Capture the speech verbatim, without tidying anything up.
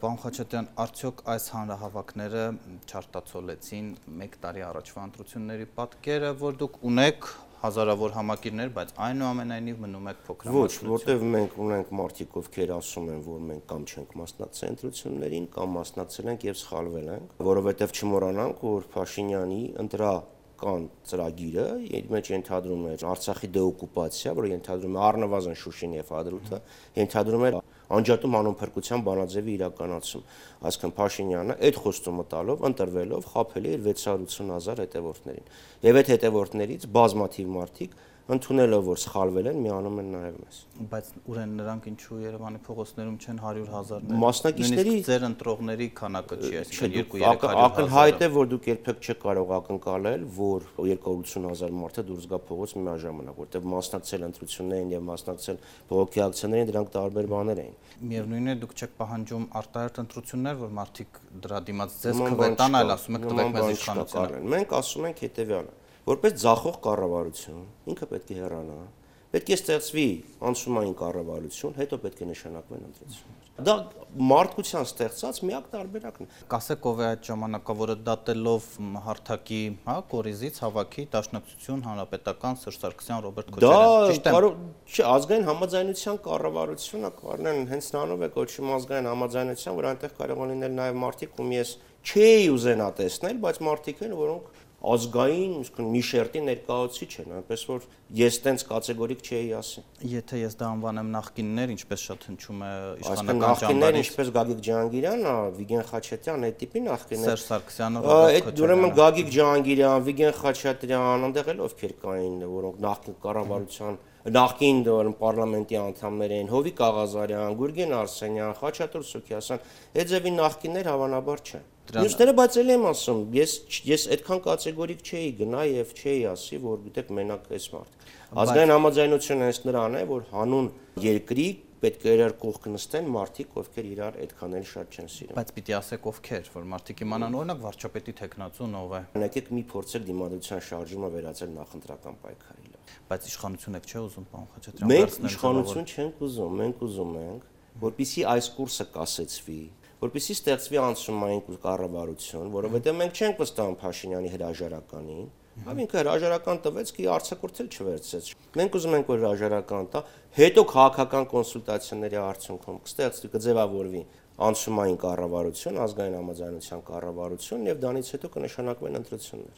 Պարոն Խաչատրյան, արդյոք այս հանրահավաքները չարտացոլեցին մեկ տարի առաջվա ընտրությունների պատկերը, որ դուք ունեք հազարավոր համակիրներ, բայց այնուամենայնիվ մնում եք փոքրամասնություն։ Ոչ, որտեղ մենք ունենք մարդիկ, ովքեր ասում են, որ մենք կամ չենք մասնակցել ընտրություններին, կամ մասնակցել ենք եւ սխալվել ենք, որովհետեւ չմոռանանք, որ Փաշինյանի ընտրական ծրագիրը իր մեջ ենթադրում էր Արցախի դեօկուպացիա, որը ենթադրում է առնվազն Շուշին եւ Հադրութը, ենթադրում էր անջատում անունփրկության բանաձևի իրականացում, այսինքն Փաշինյանը այդ խոստումը տալով, ընտրվելով խաբել է իր վեց հարյուր ութ հազար հետևորդներին։ Եվ այդ հետևորդներից բազմաթիվ մարդիկ ընդունելով որ սխալվել են, միանում են նաև մեզ։ Բայց ուրեն նրանք ինչու Երևանի փողոցներում չեն հարյուր հազարներ։ Մասնակիցների ձեր ընտրողների քանակը չի, այսինքն երկու-երեք հարյուր հազար։ Ակնհայտ է, որ դուք երբեք չեք կարող ակնկալել, որ երկու հարյուր ութ հազար մարդը դուրս գա փողոց միաժամանակ, որտեղ մասնակցել ընտրություններին եւ մասնակցել բողոքի ակցիաներին, դրանք տարբեր բաներ էին։ Միևնույնն է, դուք չեք պահանջում արտահերթ ընտրություններ, որ մարդիկ դրա դիմաց ձեզ կվետան, այլ ասում եք տվեք մեզ իշխանությունը։ Մենք ասում ենք հետեւյալը. որպես ձախող կառավարություն ինքը պետք է հեռանա, պետք է ստեղծվի անցումային կառավարություն, հետո պետք է նշանակվեն ընտրություններ։ Դա մարդկության ստեղծած միակ տարբերակն է։ Կասեք ով է այդ ժամանակավորը դատելով հարթակի, հա, կորիզից հավաքի Դաշնակցություն, Հանրապետական, Սերժ Սարգսյան, Ռոբերտ Քոչարյան։ Դա չէ, ազգային համաձայնության կառավարությունը կառնեն հենց նրանով է կոչվում ազգային համաձայնության, որ այնտեղ կարող են լինել նաև մարդիկ, ում ես չէի ուզենա տեսնել, բայց մարդիկ են, որոնք ազգային, իսկն մի շերտի ներկայացուցիչ են, այնպես որ ես տենց կատեգորիկ չէի ասի։ Եթե ես դա անվանեմ նախկիններ, ինչպես շատ հնչում է իշխանական ճամբարից, ինչպես Գագիկ Ջահանգիրյանը, Վիգեն Խաչատրյան, այդ տիպի նախկիններ։ Սերժ Սարգսյանը, Ռոբերտ Քոչարյանը։ Ուրեմն Գագիկ Ջահանգիրյան, Վիգեն Խաչատրյան, այնտեղ էլ ովքեր կային, որոնք նախկին կառավարության նախկին պարլամենտի անդամներ էին, Հովիկ Աղազարյան, Գուրգեն Արսենյան, Խաչատուր Սուքիասյան, այդ ձևի նախկիններ հավանաբար չեն։ Մյուսները բայց էլ եմ ասում, ես ես այդքան կատեգորիկ չէի գնա եւ չէի ասի, որ գիտեք մենակ էս մարդ։ Ազգային համաձայնությունը հենց նրան է, որ հանուն երկրի պետք է իրար կողք նստեն մարդիկ, ովքեր իրար այդքան էլ շատ չեն սիրում։ Բայց պիտի ասեք ովքեր, որ մարդիկ իմանան օրինակ վարչապետի տեխնացուն ով է։ Եկեք մի փորձել դիմադրության շարժումը վերածել նախընտրական պայքարի։ Բայց իշխանություն եք չէ ուզում, պարոն Խաչատրյան։ Մենք իշխանություն չենք ուզում, մենք ուզում ենք, որպեսզի այս կուրսը կասեցվի, որպեսզի ստեղծվի անցումային կառավարություն, որովհետև մենք չենք վստահում Փաշինյանի հրաժարականին, այլ ինքը հրաժարական տվեց, կի արձակուրդ էլ չվերցեց։ Մենք ուզում ենք որ հրաժարական տա, հետո քաղաքական կոնսուլտացիաների արդյունքում կստեղծվի, կձևավորվի անցումային կառավարություն, ազգային համաձայնության կառավարություն եւ դրանից հետո կնշանակվեն ընտրություններ։